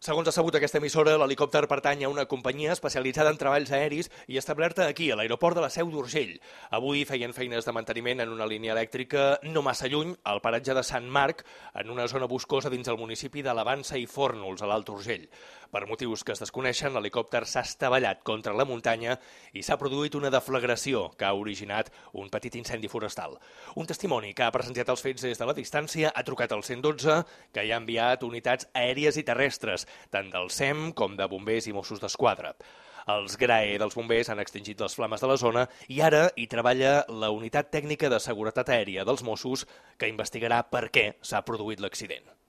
Segons ha sabut aquesta emissora, l'helicòpter pertany a una companyia especialitzada en treballs aeris i establerta aquí, a l'aeroport de la Seu d'Urgell. Avui feien feines de manteniment en una línia elèctrica no massa lluny, al paratge de Sant Marc, en una zona boscosa dins el municipi de l'Avança i Fórnols, a l'Alt Urgell. Per motius que es desconeixen, l'helicòpter s'ha estavellat contra la muntanya i s'ha produït una deflagració que ha originat un petit incendi forestal. Un testimoni que ha presenciat els fets des de la distància ha trucat al 112, que hi ha enviat unitats aèries i terrestres, tant del SEM com de bombers i Mossos d'Esquadra. Els GRAE dels bombers han extingit les flames de la zona i ara hi treballa la Unitat Tècnica de Seguretat Aèria dels Mossos, que investigarà per què s'ha produït l'accident.